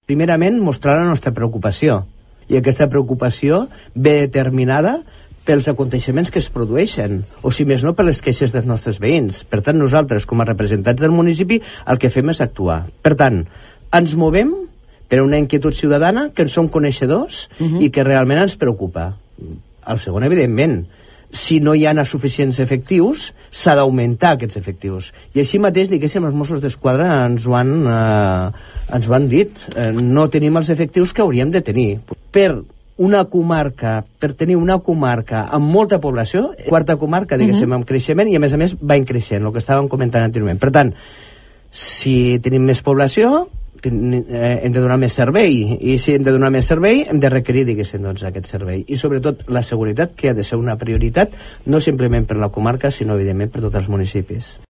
Primerament, mostrar la nostra preocupació, i aquesta preocupació ve determinada pels aconteixements que es produeixen, o si més no per les queixes dels nostres veïns. Per tant, nosaltres, com a representants del municipi, el que fem és actuar. Per tant, ens movem per una inquietud ciutadana que en som coneixedors i que realment ens preocupa. El segon, evidentment, si no hi ha suficients efectius, s'ha d'augmentar aquests efectius. I així mateix, diguéssim, els Mossos d'Esquadra ens ho han dit. No tenim els efectius que hauríem de tenir. Per tenir una comarca amb molta població, quarta comarca, diguéssim, amb creixement, i a més va increixent, el que estàvem comentant anteriorment. Per tant, si tenim més població, hem de donar més servei, i si hem de donar més servei hem de requerir, diguéssim, doncs, aquest servei, i sobretot la seguretat, que ha de ser una prioritat no simplement per la comarca, sinó evidentment per tots els municipis.